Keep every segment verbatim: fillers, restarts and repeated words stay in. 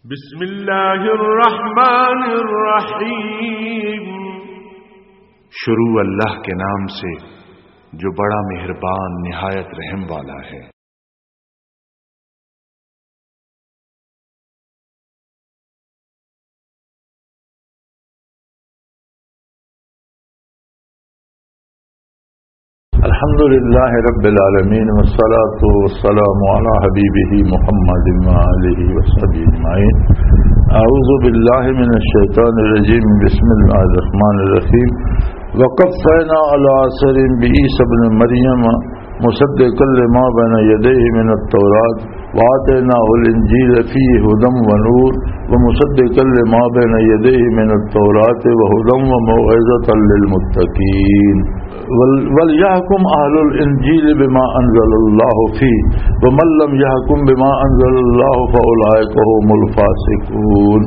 بسم اللہ الرحمن الرحیم۔ شروع اللہ کے نام سے جو بڑا مہربان نہایت رحم والا ہے۔ الحمد لله رب العالمين، والصلاة والسلام على حبيبه محمد وآله وصحبه أجمعين. أعوذ بالله من الشيطان الرجيم. بسم الله الرحمن الرحيم. وقفينا على آثارهم بعيسى ابن مريم مصدقا لما بين يديه من التوراة وآتيناه الإنجيل فيه هدى ونور ومصدقا لما بين يديه من التوراة وهدى وموعظة للمتقين. ول-، وليحكم أهل الإنجيل بما أنزل الله فيه، ومن لم يحكم بما أنزل الله فأولئك هم الفاسقون.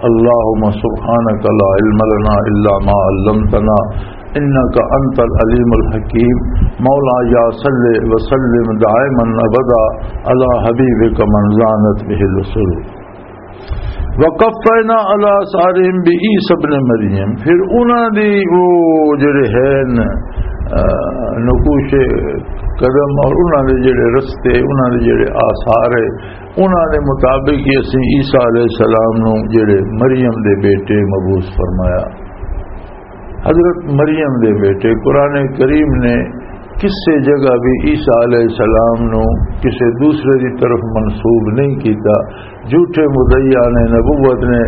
اللهم سبحانك لا علم لنا إلا ما علمتنا إنك أنت العليم الحكيم. مولاي صل وسلم دائما أبدا على حبيبك من زانت به العصور. وقفينا على آثارهم بعيسى ابن مريم، پھر انہاں دی وہ جڑے ہیں، آ، نقوش قدم اور انہاں دے جڑے رستے، انہاں دے جڑے آثار ہے، انہاں دے مطابق ہی اسیں عیسیٰ علیہ السلام نو جڑے مریم دے بیٹے مبعوث فرمایا۔ حضرت مریم دے بیٹے، قرآن کریم نے کسے جگہ بھی عیسیٰ علیہ السلام نو کسے دوسرے دی طرف منسوب نہیں کیتا۔ جھوٹے مدعیاں نے نبوت نے،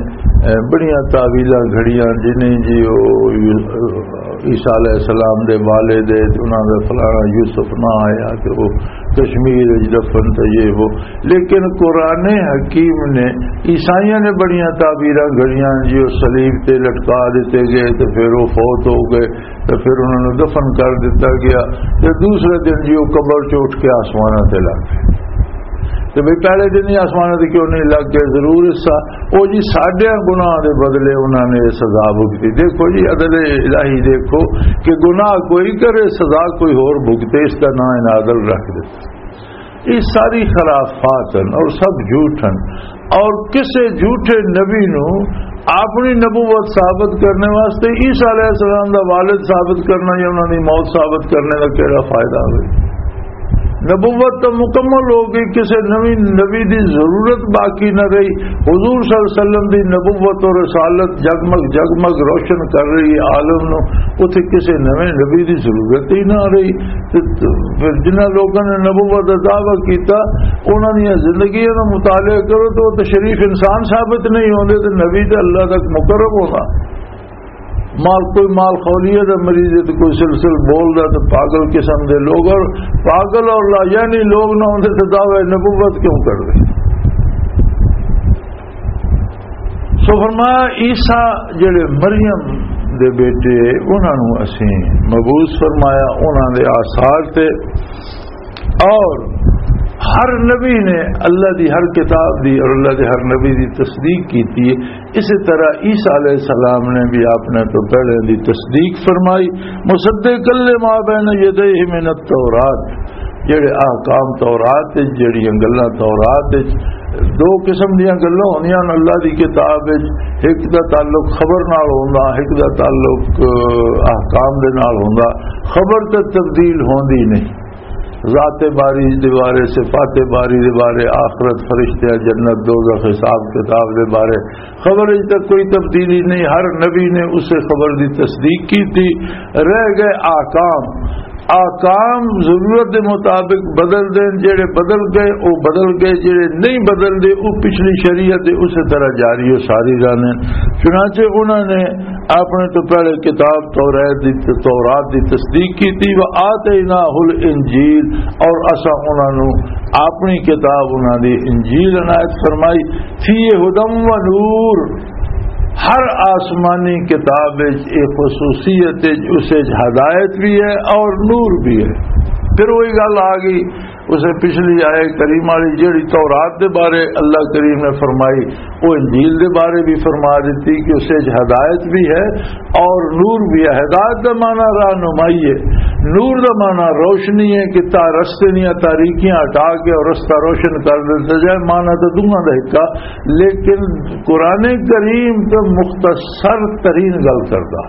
اے، بڑیاں تعویلاں گھڑیاں، جنہیں جی او، عیسیٰ علیہ السلام دے والد ہے، تے انہاں دا فلانا یوسف نہ آیا، تے او کشمیر وچ دفن تے یہ وہ۔ لیکن قرآن حکیم نے عیسائیاں نے بڑیاں تعبیراں گھڑیاں، جی او صلیب تے لٹکا دتے گئے تے پھر او فوت ہو گئے، تے پھر انہاں نوں دفن کر دتا گیا، تے دوسرے دن جی او قبر چ اٹھ کے آسماناں تے لگ گئے۔ تے بھئی، پہلے دن ہی آسماناں تے کیوں نہیں لگ گئے؟ ضرور حصہ او جی ساڈے گناہ دے بدلے انہاں نے سزا بھگتی۔ دیکھو جی، عدل الہی دیکھو کہ گناہ کوئی کرے، سزا کوئی ہور بھگتے، اس دا نام انہاں عدل رکھ دتا۔ یہ ساری خرافات ہیں اور سب جھوٹ ہیں۔ اور کسے جھوٹے نبی نو اپنی نبوت ثابت کرنے واسطے عیسیٰ علیہ السلام دا والد ثابت کرنا یا انہاں دی موت ثابت کرنے دا کیڑا فائدہ ہوئے؟ نبوت تو مکمل ہو گئی، کسے نوی نبی دی ضرورت باقی نہ رہی۔ حضور صلی اللہ علیہ وسلم دی نبوت اور رسالت جگمگ جگمگ روشن کر رہی ہے عالم نو، اتھے کسے نویں نبی دی ضرورت ہی نہ رہی۔ تے پھر جنہاں لوکاں نے نبوت دا دعویٰ کیتا، انہاں دیاں زندگیاں دا مطالعہ کرو تو وہ تے شریف انسان ثابت نہیں ہوندے، تے نبی تے اللہ تک مقرب ہونا۔ مال، کوئی مال خولیہ دا مریض ہے، تے کوئی سلسل بول دا، تے پاگل قسم دے لوگ، اور پاگل اور لا یعنی لوگ نہ ہوندے تے دعوی نبوت کیوں کر دے؟ سو فرمایا، عیسیٰ جڑے مریم دے بیٹے، انہاں نوں اسیں مبعوث فرمایا، انہاں دے آثار تے اور ہر نبی نے اللہ دی ہر کتاب دی اور اللہ دے ہر نبی دی تصدیق کیتی ہے۔ اسی طرح عیسیٰ علیہ السلام نے بھی آپ نے تو پہلے دی تصدیق فرمائی، مصدق لما بین یدیہ من التورات، جڑے احکام تورات وچ، جڑیاں گلاں تورات وچ، دو قسم دیاں گلاں ہوندیاں نے اللہ دی کتاب وچ، ایک دا تعلق خبر نال ہوندا، ایک دا تعلق، اہ، احکام دے نال ہوندا۔ خبر تے تبدیل ہوندی نہیں۔ ذات باری دے بارے، صفات باری دے بارے، آخرت، فرشتے، جنت، دوزخ، حساب کتاب دے بارے خبر اچ تک کوئی تبدیلی نہیں۔ ہر نبی نے اسے خبر دی تصدیق کی تھی۔ رہ گئے احکام، احکام ضرورت دے مطابق بدل دین، جڑے بدل گئے وہ بدل گئے، جڑے نہیں بدل دے وہ پچھلی شریعت دے اسی طرح جاری و ساری رہنے۔ چنانچہ انہوں نے اپنے تو پہلے کتاب تورات دی، تورات دی تصدیق کی تھی، وآتیناہ الانجیل، اور اسا انہاں نو اپنی کتاب، انہاں دی انجیل عنایت فرمائی، فی ہدی و نور، ہر آسمانی کتاب وچ ایک خصوصیت ہے، اس وچ ہدایت بھی ہے اور نور بھی ہے۔ پھر وہی گل آ گئی، اسے پچھلی آیت کریم والی جڑی تورات دے بارے اللہ کریم نے فرمائی، وہ انجیل دے بارے بھی فرما دیتی کہ اسے وچ ہدایت بھی ہے اور نور بھی ہے۔ ہدایت دا معنی رہنمائی ہے، نور دا معنی روشنی ہے کہ تا-، رستے دیاں تاریکیاں ہٹا کے اور رستہ روشن کر دتا جائے، معنی تو دونوں دا ایک آ، لیکن قرآن کریم تو مختصر ترین گل کردا،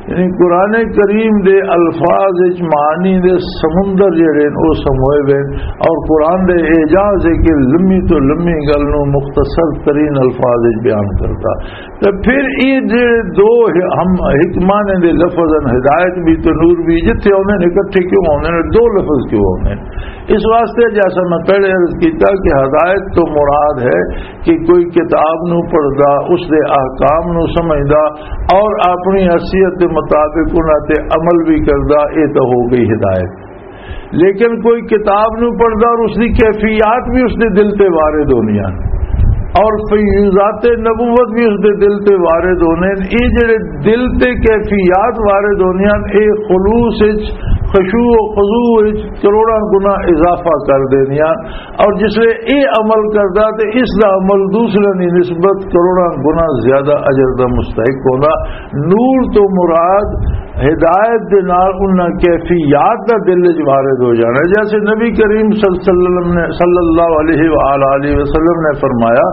یعنی قرآن کریم دے الفاظ وچ معانی دے سمندر جڑے نے، او سموئے ہوئے نے، اور قرآن دے اعجاز ہے کہ لمبی تو لمبی گل نو مختصر ترین الفاظ وچ بیان کردا۔ تے پھر یہ جڑے دو ہ-، ہم حکمانے دے لفظ ہیں، ہدایت بھی تے نور بھی، جتھے ہوندے نے اکٹھے کیوں ہوندے نے، دو لفظ کیوں ہوندے نے؟ اس واسطے جیسا میں پہلے عرض کیتا کہ ہدایت تو مراد ہے کہ کوئی کتاب نو پڑھدا، اس دے احکام نو سمجھدا اور اپنی حیثیت دے مطابق انہاں تے عمل بھی کردا، یہ تو ہو گئی ہدایت۔ لیکن کوئی کتاب نو پڑھدا اور اس دی کیفیات بھی اس دے دل تے وارد ہونیاں، اور فیوضات نبوت بھی اس دے دل تے وارد ہونے۔ یہ جڑے دل تے کیفیات وارد ہونیاں، یہ خلوص وچ، خشوع و خضوع وچ کروڑاں گنا اضافہ کر دینیاں۔ اور جس لے یہ عمل کردا تے اس دا عمل دوسرے دی نسبت کروڑاں گنا زیادہ اجر دا مستحق ہوندا۔ نور تو مراد ہدایت دے نال انہاں کیفیات دا دل وچ وارد ہو جانا ہے۔ جیسے نبی کریم صلی اللہ علیہ وسلم نے، صلی اللہ علیہ وآلہ وسلم نے فرمایا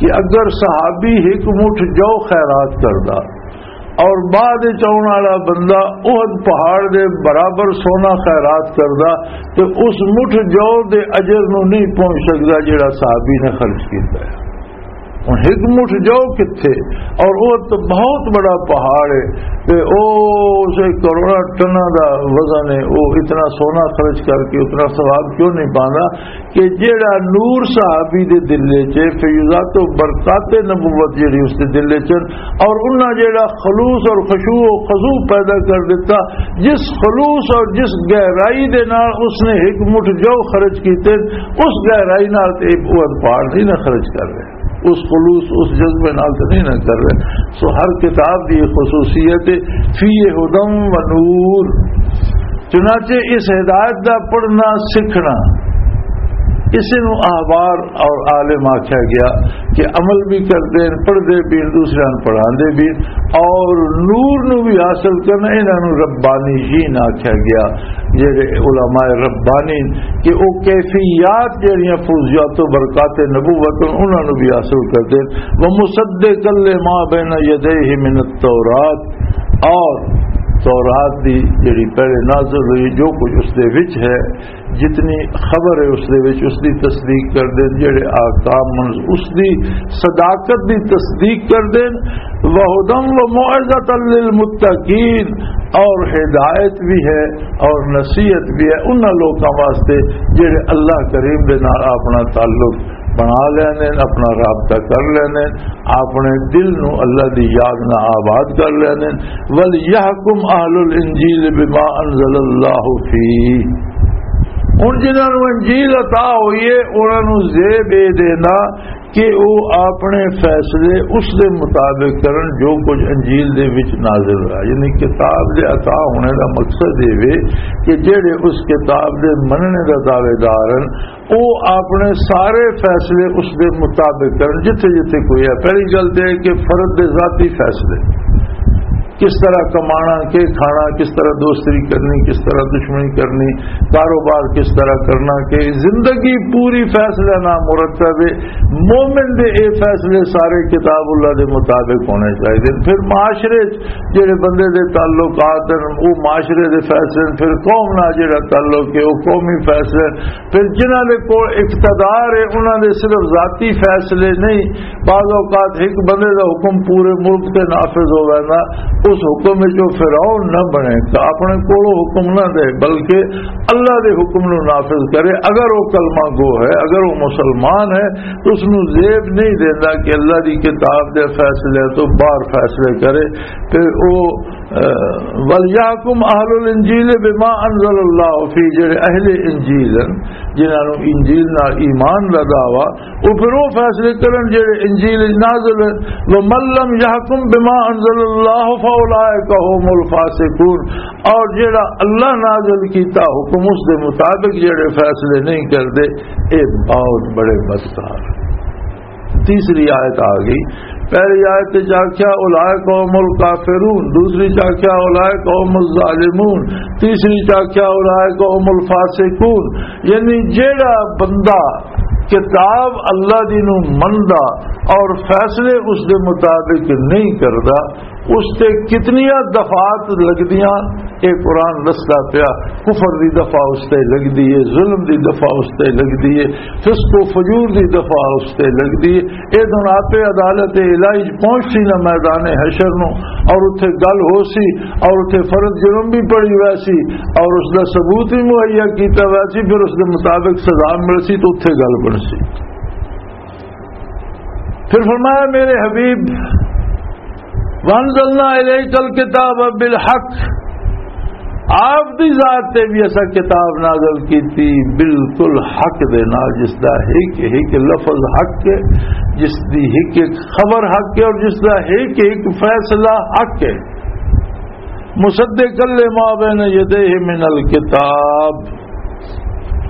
کہ اگر صحابی ایک مٹھ جو خیرات کردا اور بعد وچ آؤن والا بندہ احد پہاڑ دے برابر سونا خیرات کردا، تے اس مٹھ جو دے اجر نو نہیں پہنچ سکدا جڑا صحابی نے خرچ کیتا ہے۔ ہن ایک مٹھ جو کتھے، اور وہ تو بہت بڑا پہاڑ ہے، تے او اسے کروڑاں ٹناں دا وزن ہے، وہ اتنا سونا خرچ کر کے اتنا ثواب کیوں نہیں پاندا؟ کہ جیڑا نور صحابی دے دل وچ ہے، فیوضات و برکات نبوت جیڑی اس دے دل وچ ہے، اور انہاں جیڑا خلوص اور خشوع و خضوع پیدا کر دیتا، جس خلوص اور جس گہرائی دے نال اس نے ایک مٹھ جو خرچ کیتے، اس گہرائی نال تے احد پہاڑ نہیں نہ خرچ کر رہے، اس خلوص، اس جذبے نال تے نہیں نہ کر رہے۔ سو ہر کتاب دی ایک خصوصیت ہے، فیہ ہدی و نور۔ چنانچہ اس ہدایت دا پڑھنا سکھنا، اسے نو احبار اور عالم آکھیا گیا کہ عمل بھی کردے ہیں، پڑھدے بھی ہیں، دوسرے نوں پڑھاندے بھی ہیں، اور نور نو بھی حاصل کرنا، انہاں نو ربانیین آکھیا گیا، جڑے علماء ربانی کہ او کیفیات جڑیاں فیوضات و برکات نبوت انہاں نو بھی حاصل کردے ہیں۔ ومصدقا لما بین یدیہ من التوراۃ، اور تورات دی جڑی پہلے نازل ہوئی، جو کچھ اس دے وچ ہے، جتنی خبر ہے اس دے وچ، اس دی تصدیق کر دین، جڑے احکام منز-، اس دی صداقت دی تصدیق کر دین۔ وہدی و موعظۃ للمتقین، اور ہدایت بھی ہے اور نصیحت بھی ہے انہاں لوکاں واسطے جڑے اللہ کریم دے نال اپنا تعلق بنا لینے، اپنا رابطہ کر لینے، اپنے دل نو اللہ دی یاد نال آباد کر لینے۔ وَلْيَحْكُمْ أَهْلُ الْإِنْجِيلِ بِمَا أَنْزَلَ اللَّهُ فِيهِ۔ ہن جنہاں نوں انجیل عطا ہوئی ہے، انہاں نوں زیب اے دینا کہ او اپنے فیصلے اس دے مطابق کرن جو کچھ انجیل دے وچ نازل ہوا۔ یعنی کتاب دے عطا ہونے دا مقصد اے وے کہ جڑے اس کتاب دے مننے دا دعوے دار ہن، او اپنے سارے فیصلے اس دے مطابق کرن، جتھے جتھے کوئی ہے۔ پہلی گل تے ہے کہ فرد دے ذاتی فیصلے، کس طرح کمانا، کے کھانا، کس طرح دوستی کرنی، کس طرح دشمنی کرنی، کاروبار کس طرح کرنا، کہ زندگی پوری فیصلے نہ مرتب ہے۔ مومن دے اے فیصلے سارے کتاب اللہ دے مطابق ہونے چاہیے۔ پھر معاشرے چ جڑے بندے دے تعلقات ہیں، وہ معاشرے دے فیصلے ہیں، پھر قوم نال جڑا تعلق ہے، وہ قومی فیصلے ہیں۔ پھر جنہاں دے کول اقتدار ہے، انہاں دے صرف ذاتی فیصلے نہیں، بعض اوقات ایک بندے دا حکم پورے ملک تے نافذ ہو ویندا، اس حکم وچ او فرعون نہ بنے، تے اپنے کولوں حکم نہ دے، بلکہ اللہ دے حکم نو نافذ کرے۔ اگر وہ کلمہ گو ہے، اگر وہ مسلمان ہے، تو اس نو زیب نہیں دیندا کہ اللہ دی کتاب دے فیصلے تو باہر فیصلے کرے۔ تے او، اے، وَلْيَحْكُمْ أَهْلُ الْإِنْجِيلِ بِمَا أَنْزَلَ اللَّهُ فِيهِ، جڑے اہل انجیل ہیں، جنہاں نوں انجیل نال ایمان دا دعویٰ، او پھر او فیصلے کرن جڑے انجیل وچ نازل ہیں۔ وَمَنْ لَمْ يَحْكُمْ بِمَا أَنْزَلَ اللَّهُ فَأُولَٰئِكَ هُمُ الْفَاسِقُونَ، اور جڑا اللہ نازل کیتا حکم، اس دے مطابق جڑے فیصلے نہیں کردے، اے بہت بڑے بدکار۔ تیسری آیت آ گئی، پہلی آیت وچ آکھیا، "اولئک هم الکافرون"، دوسری وچ آکھیا، "اولئک هم الظالمون"، تیسری وچ آکھیا، "اولئک هم الفاسقون"۔ یعنی جیڑا بندہ کتاب اللہ دی نو مندا اور فیصلے اس دے مطابق نہیں کردا، اس تے کتنیاں دفعات لگدیاں، اے قرآن دسدا پیا، کفر دی دفعہ اس تے لگدی ہے، ظلم دی دفعہ اس تے لگدی ہے، فسق و فجور دی دفعہ اس تے لگدی ہے۔ اے دن آپ عدالت الہی پہنچ سی نہ میدان حشر نو، اور اتھے گل ہو سی، اور اتھے فرض جرم بھی پڑی ویسی، اور اس دا ثبوت بھی مہیا کیتا ویسی، پھر اس دے مطابق سزا مل سی تو اتھے گل بن سی۔ پھر فرمایا، میرے حبیب، "وانزلنا الیک الکتاب بالحق"، آپ دی ذات تے بھی ایسا کتاب نازل کیتی، بالکل حق دے نال، جس دا ایک ایک لفظ حق ہے، جس دی ایک ایک خبر حق ہے اور جس دا ایک ایک فیصلہ حق ہے۔ مصدقا لما بین یدیہ من الکتاب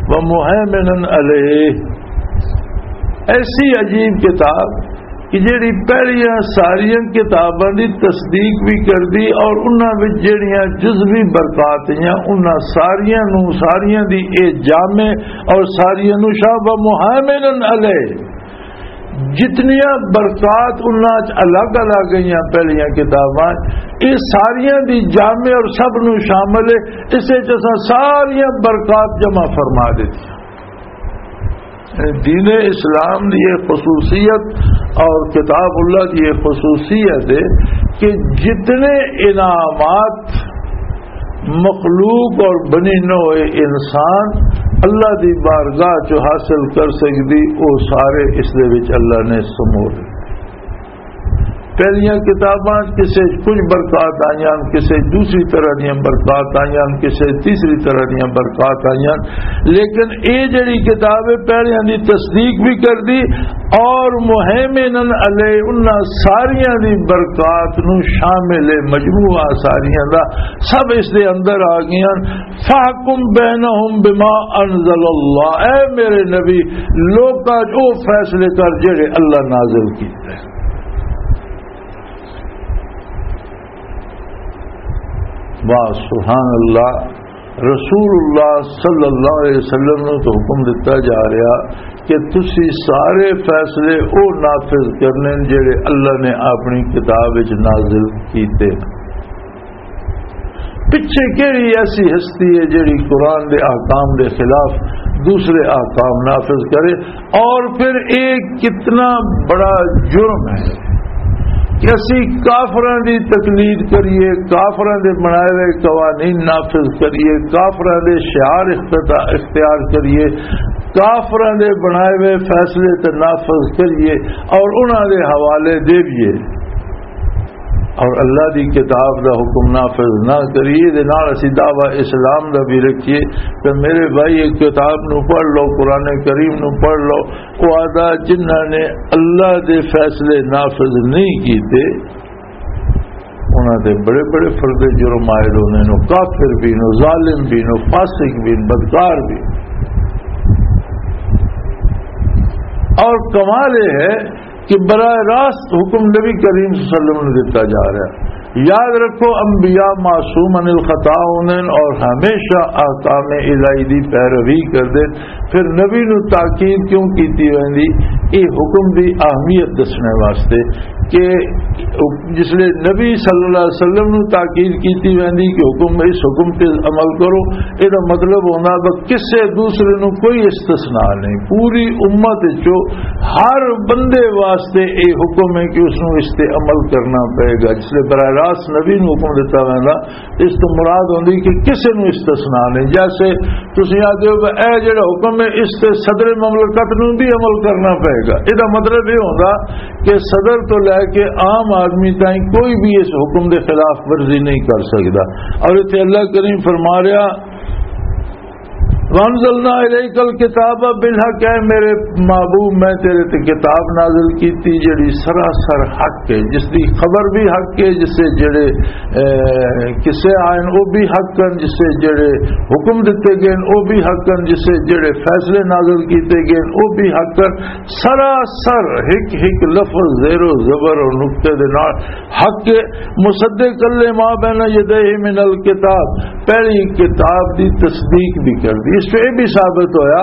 و مہیمنا علیہ۔ ایسی عجیب کتاب کہ جیڑی پہلیاں ساریاں کتاباں دی تصدیق بھی کردی اور انہاں وچ جیڑیاں جزوی برکات ہیں، انہاں ساریاں نو، ساریاں دی اے جامع اور ساریاں نو شاہ و مہیمنا علیہ۔ جتنیاں برکات انہاں چ الگ الگ گئیاں پہلیاں کتاباں، اے ساریاں دی جامع اور سب نو شامل ہے۔ اس وچ اساں ساریاں برکات جمع فرما دتی۔ دین اسلام دی یہ خصوصیت اور کتاب اللہ دی یہ خصوصیت ہے کہ جتنے انعامات مخلوق اور بنی نوع انسان اللہ دی بارگاہ چ حاصل کر سکدی، او سارے اس دے وچ اللہ نے سمو لے۔ پہلیاں کتاباں کسے کچھ برکات آئیاں، کسے دوسری طرح دیاں برکات آئیاں، کسے تیسری طرح دیاں برکات آئیاں، لیکن اے جڑی کتاب ہے، پہلیاں دی تصدیق بھی کر دی اور مہیمنن علیہ، انہاں ساریاں دی برکات نو شامل ہے، مجموعہ ساریاں دا سب اس دے اندر آ گئیاں۔ فاحکم بینہم بما انزل اللہ، اے میرے نبی، لوکاں چ او فیصلے کر جڑے اللہ نازل کیتے۔ واہ، سبحان اللہ۔ رسول اللہ صلی اللہ علیہ وسلم نو تو حکم دتا جا رہا کہ تسی سارے فیصلے او نافذ کرنے جڑے اللہ نے اپنی کتاب وچ نازل کیتے۔ پچھے کیڑی ایسی ہستی ہے جڑی قرآن دے احکام دے خلاف دوسرے احکام نافذ کرے؟ اور پھر ایک کتنا بڑا جرم ہے کہ اسی کافراں دی تقلید کریے، کافراں دے بنائے ہوئے قوانین نافذ کریے، کافراں دے شعار اختتا-، اختیار کریے، کافراں دے بنائے ہوئے فیصلے تے نافذ کریے اور انہاں دے حوالے دیویے۔ اور اللہ دی کتاب دا حکم نافذ نہ کریے، دے نال اسی دعویٰ اسلام دا بھی رکھیے۔ تے میرے بھائی، ایک کتاب نو پڑھ لو، قرآن کریم نو پڑھ لو۔ او آدھا، جنہاں نے اللہ دے فیصلے نافذ نہیں کیتے، انہاں تے بڑے بڑے فرد جرم عائد ہونے نو، کافر بھی نو، ظالم بھی نو، فاسق بھی نو، بدکار بھی نو۔ اور کمال یہ ہے کہ براہ راست حکم نبی کریم صلی اللہ علیہ وسلم نے دیتا جا رہا ہے۔ یاد رکھو، انبیاء معصوم عن الخطا ہوندے نے اور ہمیشہ احکام الہی دی پیروی کردے۔ پھر نبی نو تاکید کیوں کیتی ویندی؟ اے حکم دی اہمیت دسنے واسطے کہ جس لے نبی صلی اللہ علیہ وسلم نو تاکید کیتی ویندی کہ حکم، اس حکم تے عمل کرو، اے دا مطلب ہوندا بس کسے دوسرے نو کوئی استثناء نہیں، پوری امت وچوں ہر بندے واسطے اے حکم ہے کہ اس نو اس تے عمل کرنا پئے گا۔ جس لے براہ راست نبی نو حکم دتا ویندا، اس تو مراد ہوندی کہ کسے نو استثناء نہیں۔ جیسے تسی آدھے ہو کہ اے جڑا حکم ہے، اس تے صدر مملکت نو بھی عمل کرنا پئے گا، اے دا مطلب یہ ہوندا کہ صدر تو لے کے عام آدمی تائیں کوئی بھی اس حکم دے خلاف ورزی نہیں کر سکدا۔ اور اتنے اللہ کریم فرما رہا، وانزلنا الیک الکتاب بالحق، اے میرے محبوب، میں تیرے تے کتاب نازل کیتی جڑی سراسر حق ہے، جس دی خبر بھی حق ہے، جس سے جڑے، اے، قصے آئے او بھی حق ہیں، جس سے جڑے حکم دیتے گئے او بھی حق ہیں، جس سے جڑے فیصلے نازل کیتے گئے او بھی حق ہیں۔ سراسر ہک ہک لفظ زیر و زبر اور نقطے دے نال حق ہے۔ مصدق لما بین یدیہ من الکتاب، پہلی کتاب دی تصدیق بھی کر دی۔ اس سے یہ بھی ثابت ہویا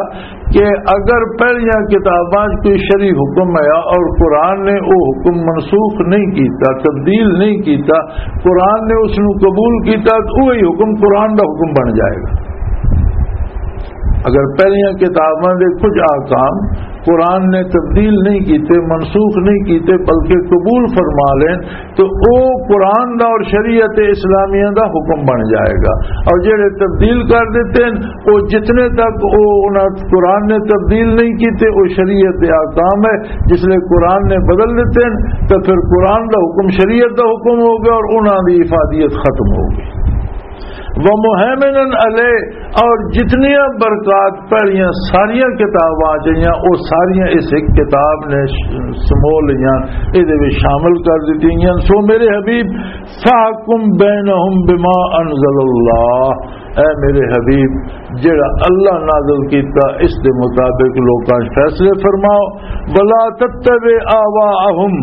کہ اگر پہلیاں کتاباں 'چ کوئی شرعی حکم آیا اور قرآن نے وہ حکم منسوخ نہیں کیتا، تبدیل نہیں کیتا، قرآن نے اس نو قبول کیتا، تو وہی حکم قرآن دا حکم بن جائے گا۔ اگر پہلیاں کتاباں دے کچھ احکام قرآن نے تبدیل نہیں کیتے، منسوخ نہیں کیتے، بلکہ قبول فرما لین، تو او قرآن دا اور شریعت اسلامیہ دا حکم بن جائے گا۔ اور جڑے تبدیل کر دیتے ہیں، وہ جتنے تک وہ انہاں قرآن نے تبدیل نہیں کیتے، وہ شریعت دے احکام ہے۔ جس لئے قرآن نے بدل دیتے ہیں، تو پھر قرآن دا حکم شریعت دا حکم ہو گیا اور انہاں دی افادیت ختم ہو گئی۔ ومہیمناً علیہ، اور جتنیاں برکات پہلیاں ساریاں کتاباں آ جائیاں، وہ ساریاں اس ایک کتاب نے ش-، سمو لئیاں، اے دے وچ شامل کر دتی گئیاں۔ سو میرے حبیب، فاحکم بینہم بما انزل اللہ، اے میرے حبیب، جڑا اللہ نازل کیتا، اس دے مطابق لوکاں 'چ فیصلے فرماؤ۔ ولا تتبع آواءہم،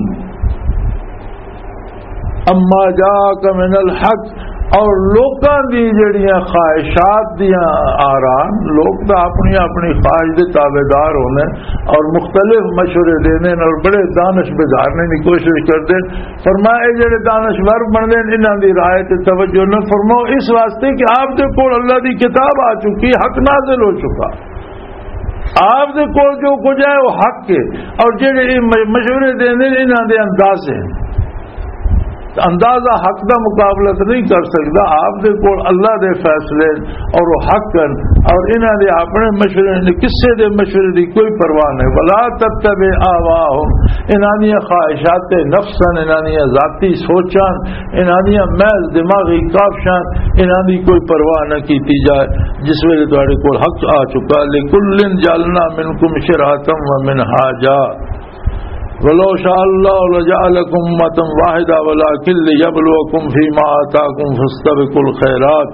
اما جاءک من الحق، اور لوکاں دی جڑیاں خواہشات دیاں آراں، لوک تاں اپنی اپنی خواہش دے تابعدار ہوندے اور مختلف مشورے دیندے اور بڑے دانش بگاڑنے دی کوشش کردے۔ فرمایا، اے جڑے دانشور بندے نے، انہاں دی رائے تے توجہ نہ فرماؤ، اس واسطے کہ آپ دے کول اللہ دی کتاب آ چکی، حق نازل ہو چکا۔ آپ دے کول جو کچھ ہے، وہ حق ہے۔ اور جڑے یہ م-، مشورے دیندے نے، انہاں دے اندازے ہیں۔ اندازہ حق دا مقابلہ تو نہیں کر سکدا۔ آپ دے کول اللہ دے فیصلے اور وہ حق ہیں، اور انہاں دے اپنے مشورے نے، کسے دے مشورے دی کوئی پرواہ نہیں۔ ولا تتبع آواءہم، انہاں دیاں خواہشات نفس ہیں، انہاں دیاں ذاتی سوچاں، انہاں دیاں محض دماغی کاوشاں، انہاں دی کوئی پرواہ نہ کیتی جائے۔ جس ویلے تہاڈے کول حق آ چکا، لکل جعلنا منکم شرعة و منہاجا، ولو شاء اللہ لجعلکم امة واحدہ ولکن لیبلوکم فیما آتاکم فاستبقوا الخیرات۔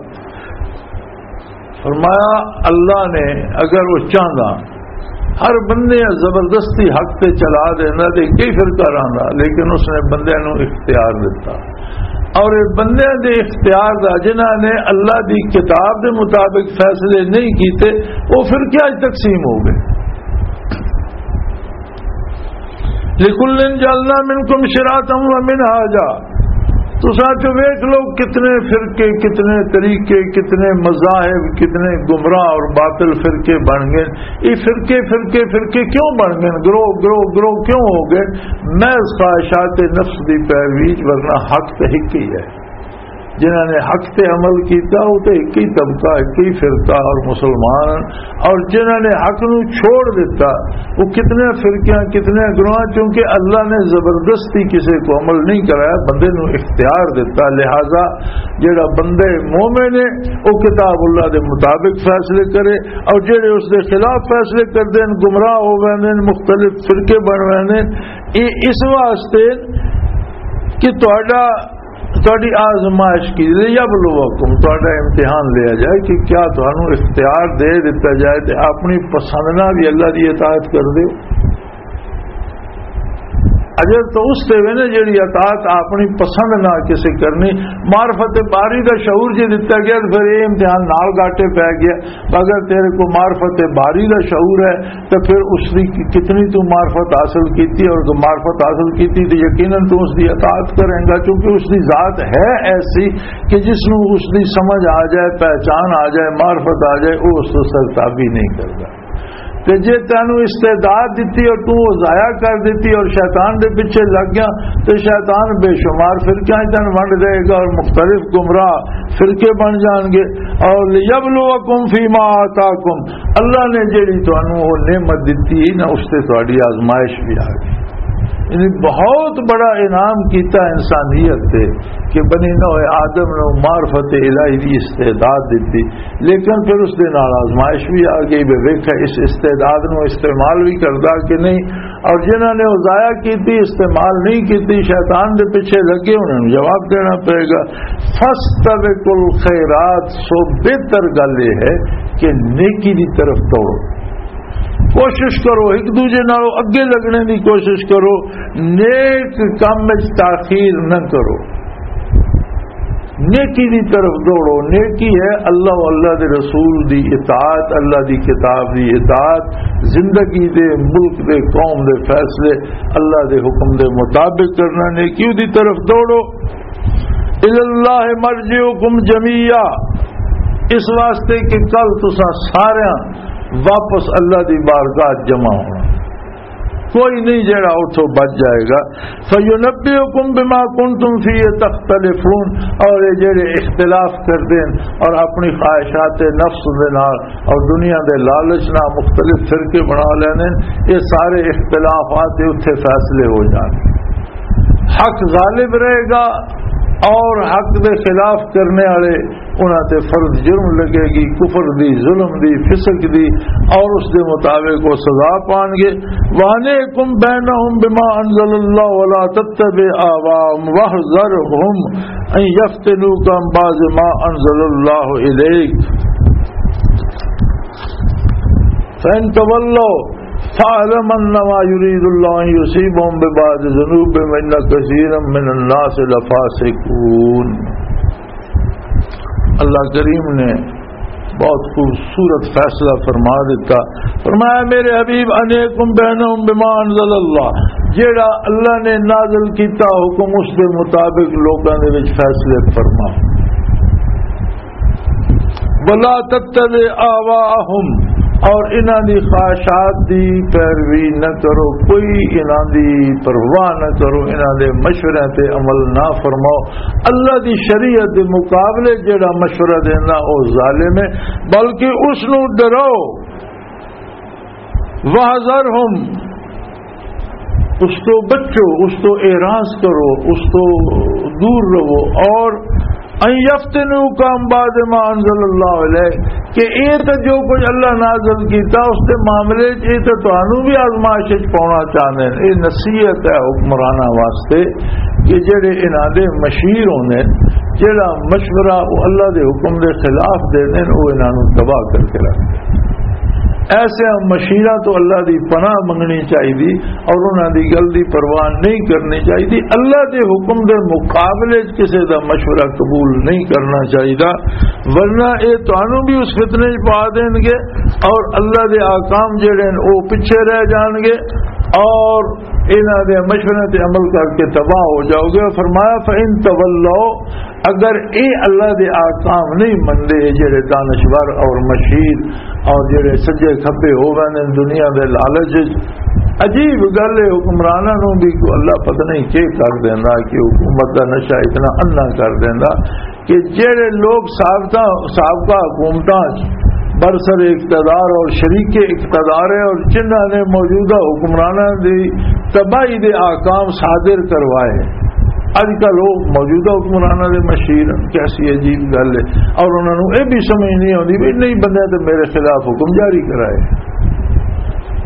فرمایا، اللہ نے اگر وہ چاہندا، ہر بندے زبردستی حق تے چلا دیندا تے کئی فرقہ رہندا، لیکن اس نے بندے نو اختیار دتا۔ اور یہ بندے دے اختیار دا، جنہاں نے اللہ دی کتاب دے مطابق فیصلے نہیں کیتے، وہ فرقے اج تقسیم ہو گئے۔ لکل جعلنا منکم شرعة و منہاجا۔ تساں چو ویکھ لو، کتنے فرقے، کتنے طریقے، کتنے مذاہب، کتنے گمراہ اور باطل فرقے بن گئے۔ یہ فرقے، فرقے، فرقے کیوں بن گئے؟ گروہ، گروہ، گروہ کیوں ہو گئے؟ محض خواہشات نفس دی پیروی، ورنہ حق تے ایک ہی ہے۔ جنہاں نے حق تے عمل کیتا، وہ تے ایک ہی طبقہ، ایک ہی فرقہ اور مسلمان۔ اور جنہاں نے حق نو چھوڑ دیتا، وہ کتنے فرقیاں، کتنے گروہ، کیونکہ اللہ نے زبردستی کسے کو عمل نہیں کرایا، بندے نو اختیار دیتا۔ لہذا جڑا بندے مومن ہے، وہ کتاب اللہ دے مطابق فیصلے کرے، اور جڑے اس دے خلاف فیصلے کردے ہیں، گمراہ ہو ویندے ہیں، مختلف فرقے بن ویندے ہیں۔ یہ اس واسطے کہ تہاڈا، تہاڈی آزمائش کی، لیبلوکم، تہاڈا امتحان لیا جائے کہ کیا تہانوں اختیار دے دتا جائے تے اپنی پسند نہ بھی اللہ دی اطاعت کر دیو۔ اجر تو اس تے وے نا جڑی اطاعت اپنی پسند نہ کسے کرنی۔ معرفت باری دا شعور جے دتا گیا تے پھر یہ امتحان نال گاٹے پے گیا۔ اگر تیرے کو معرفت باری دا شعور ہے تو پھر اس دی کتنی تو معرفت حاصل کیتی، اور تو معرفت حاصل کیتی تو یقیناً تو اس دی اطاعت کریں گا، کیونکہ اس دی ذات ہے ایسی کہ جس نو اس دی سمجھ آ جائے، پہچان آ جائے، معرفت آ جائے، وہ اس تو سرتابی نہیں کرتا۔ تے جے تینوں استعداد دتی اور تو وہ ضائع کر دتی اور شیطان دے پیچھے لگ گیا، تے شیطان بے شمار فرقیاں تینوں ونڈ دے گا اور مختلف گمراہ فرقے بن جان گے۔ اور لیبلوکم فیما آتاکم، اللہ نے جڑی تانوں وہ نعمت دتی ہے نا، اس تے تہاڈی آزمائش بھی آ گئی۔ یعنی بہت بڑا انعام کیتا انسانیت تے، کہ بنی نوع آدم نو معرفت الہی دی استعداد دتی، لیکن پھر اس دے نال آزمائش بھی آ گئی، بے ویکھا اس استعداد نو استعمال بھی کردا کہ نہیں، اور جنہاں نے وہ ضائع کیتی، استعمال نہیں کیتی، شیطان دے پیچھے لگے، انہاں نوں جواب دینا پئے گا۔ فاستبقوا الخیرات، سو بہتر گل یہ ہے کہ نیکی دی طرف دوڑو، کوشش کرو، ایک دوجے نالوں اگے لگنے دی کوشش کرو، نیک کام وچ تاخیر نہ کرو، نیکی دی طرف دوڑو۔ نیکی ہے اللہ و اللہ دے رسول دی اطاعت، اللہ دی کتاب دی اطاعت، زندگی دے، ملک دے، قوم دے فیصلے اللہ دے حکم دے مطابق کرنا، نیکی دی طرف دوڑو۔ الی اللہ مرجعکم جمیعا، اس واسطے کہ کل تساں سارے واپس اللہ دی بارگاہ جمع ہونا، کوئی نہیں جڑا اتھوں بچ جائے گا۔ فَيُنَبِّئُكُم بِمَا كُنتُمْ فِيهِ تَخْتَلِفُونَ، اور یہ جڑے اختلاف کردے ہیں اور اپنی خواہشات نفس دے نال اور دنیا دے لالچ نال مختلف فرقے بنا لینے ہیں، یہ سارے اختلافات دے اتھے فیصلے ہو جان۔ حق غالب رہے گا اور حق دے خلاف کرنے والے انہاں تے فرض جرم لگے گی، کفر دی، ظلم دی، فسق دی، اور اس دے مطابق وہ سزا پان گے۔ وَأَنِحْكُم بَيْنَهُم بِمَا أَنزَلَ اللَّهُ وَلَا تَتَّبِعْ أَهْوَاءَهُمْ وَاحْذَرْهُمْ أَن يَفْتِنُوكَ عَن بَعْضِ مَا أَنزَلَ اللَّهُ إِلَيْكَ فَإِن تَوَلَّوْا فَاعْلَمْ أَنَّمَا يُرِيدُ اللَّهُ أَن يُصِيبَهُمْ بِبَعْضِ ذُنُوبِهِمْ وَإِنَّ كَثِيرًا مِّنَ النَّاسِ لَفَاسِقُونَ۔ اللہ کریم نے بہت خوبصورت فیصلہ فرما دیتا۔ فرمایا، میرے حبیب، انحکم بینہم بما انزل اللہ، جیڑا اللہ نے نازل کیتا حکم، اس دے مطابق لوکاں دے وچ فیصلے فرما۔ ولا تتبع آواءہم، اور انہاں دی خواہشات دی پیروی نہ کرو، کوئی انہاں دی پرواہ نہ کرو، انہاں دے مشورے تے عمل نہ فرماؤ۔ اللہ دی شریعت دے مقابلے جڑا مشورہ دینا، او ظالم ہے، بلکہ اس نو ڈراؤ۔ وَاحْذَرْهُمْ، اس تو بچو، اس تو اعراض کرو، اس تو دور رہو۔ اور ان یفتنوک عن بعض ما انزل اللہ الیک، کہ اے تے جو کچھ اللہ نازل کیتا اس دے معاملے وچ، اے تے تانوں بھی آزمائش وچ پاؤنا چاہندے نے۔ اے نصیحت ہے حکمراناں واسطے کہ جڑے انہاں دے مشیر ہوندے نے، جڑا مشورہ او اللہ دے حکم دے خلاف دے دین، او انہاں نوں تباہ کر کے رکھ دے۔ ایسے مشیراں تو اللہ دی پناہ منگنی چاہیے اور انہاں دی گل دی پرواہ نہیں کرنی چاہیے۔ اللہ دے حکم دے مقابلے وچ کسے دا مشورہ قبول نہیں کرنا چاہیے، ورنہ اے تانوں بھی اس فتنے وچ پا دین گے اور اللہ دے احکام جڑے نے او پیچھے رہ جان گے اور انہاں دے مشورے تے عمل کر کے تباہ ہو جاؤ گے۔ فرمایا، فَإِن تَوَلَّوْا، اگر اے اللہ دے احکام نہیں مندے، جڑے دانشور اور مشیر اور جڑے سجے کھبے ہو گئے نے دنیا دے لالچ وچ، عجیب گل ہے، حکمراناں نوں بھی کوئی اللہ پتہ نہیں کی کر دیندا کہ حکومت دا نشہ اتنا انا کر دیندا کہ جڑے لوگ سابقہ، سابقہ حکومتاں برسر اقتدار اور شریک اقتدار ہے اور جنہاں نے موجودہ حکمراناں دی تباہی دے احکام صادر کروائے، اج کل وہ موجودہ حکمراناں دے مشیر ہیں۔ کیسی عجیب گل ہے۔ اور انہاں نوں یہ بھی سمجھ نہیں آتی بھی نہیں بندے تے میرے خلاف حکم جاری کرائے۔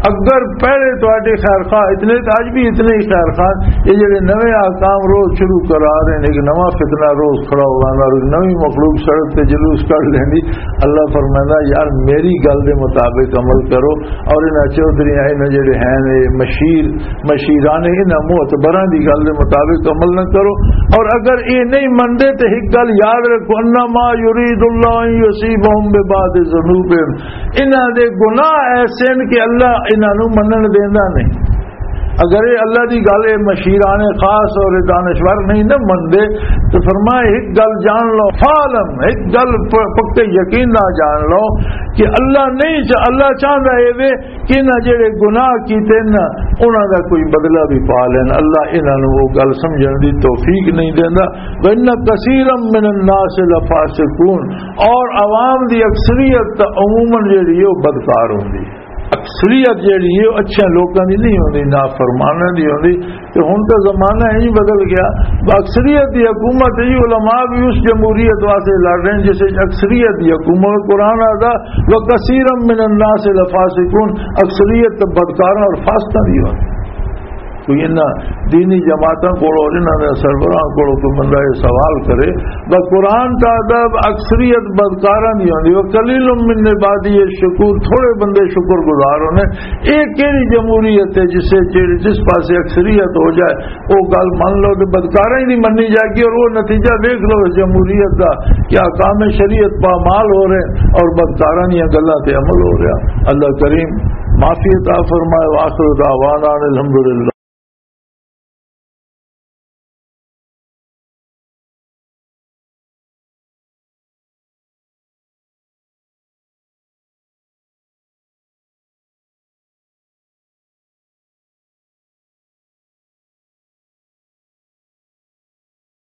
اگر پہلے تہاڈے خیر خواہ اتنے، تے اج بھی اتنے ہی خیر خواہ، یہ جڑے نویں احکام روز شروع کرا رہے ہیں، ایک نواں فتنہ روز کھڑا ہو جانا اور ایک نویں مخلوق سڑک تے جلوس کر لیندی۔ اللہ فرمائندا، یار، میری گل دے مطابق عمل کرو، اور انہاں چوہدریاں، انہاں جڑے ہیں نے مشیر، مشیران، انہاں معتبراں دی گل دے مطابق عمل نہ کرو۔ اور اگر یہ نہیں مندے تے ایک گل یاد رکھو، انما یرید اللہ ان یصیبہم ببعض ذنوبہم، انہاں دے گناہ ایسے ہیں کہ اللہ انہاں نوں منن دیندا نہیں۔ اگر یہ اللہ دی گل، یہ مشیران خاص اور یہ دانشور نہیں نہ مندے، تو فرمایا، ایک گل جان لو، فعلم، ایک گل پ-، پکے یقین نہ جان لو کہ اللہ نہیں چا-، اللہ چاہندا ہے وے کہ انہاں جڑے گناہ کیتے نا، انہاں دا کوئی بدلہ بھی پا لین۔ اللہ انہاں نوں وہ گل سمجھن دی توفیق نہیں دیندا۔ وَإِنَّ كَثِيرًا مِّنَ النَّاسِ لَفَاسِقُونَ، اور عوام دی اکثریت تاں عموماً جڑی ہے، وہ بدکار ہوندی ہے۔ اکثریت جیڑی ہے، اچھے لوکاں دی نہیں ہوندی، نافرماناں دی ہوندی۔ تے ہن تاں زمانہ ہی بدل گیا۔ اکثریت دی حکومت ہی، علماء بھی اس جمہوریت واسطے لڑ رہے ہیں جس وچ اکثریت دی حکومت۔ قرآن آتا، "وَكَثِيرًا مِّنَ النَّاسِ لَفَاسِقُونَ"، اکثریت تاں بدکاراں اور فاسقاں دی ہوندی۔ کوئی انہاں دینی جماعتاں کولوں اور انہاں دے سربراہاں کولوں کوئی بندہ یہ سوال کرے، بس قرآن دا ادب اکثریت بدکاراں دی ہوندی، "وَقَلِيلٌ مِّنْ عِبَادِيَ الشَّكُورُ"، تھوڑے بندے شکر گزار ہونے۔ یہ کہڑی جمہوریت ہے جسے جیڑی، جس پاسے اکثریت ہو جائے، وہ گل من لو تے بدکاراں ہی نہیں مننی جائے گی، اور وہ نتیجہ دیکھ لو اس جمہوریت دا، کہ احکام شریعت پامال ہو رہے اور بدکاراں دیاں گلاں تے عمل ہو رہا۔ اللہ کریم معافی عطا فرمائے۔ وآخر دعوانا ان الحمدللہ۔